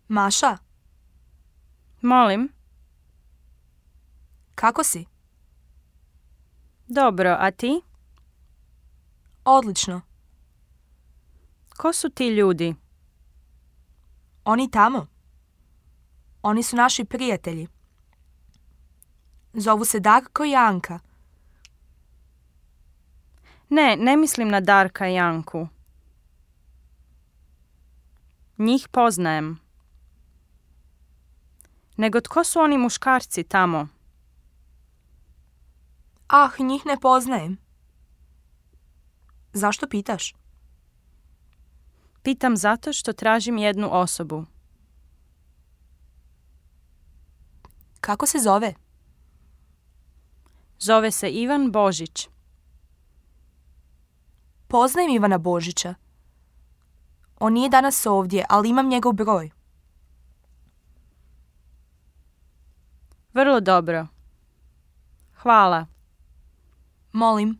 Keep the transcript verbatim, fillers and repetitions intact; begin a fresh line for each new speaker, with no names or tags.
Maša,
Molim?
kako si?
Dobro, a ti?
Odlično.
Ko su ti ljudi?
Oni tamo. Oni su naši prijatelji. Zovu se Darko i Anka.
Ne, ne mislim na Darka i Anku. Njih poznajem. Nego tko su oni muškarci tamo?
Ah, njih ne poznajem. Zašto pitaš?
Pitam zato što tražim jednu osobu.
Kako se zove?
Zove se Ivan Božić.
Poznajem Ivana Božića. On nije danas ovdje, ali imam njegov broj.
Vrlo dobro. Hvala.
Molim.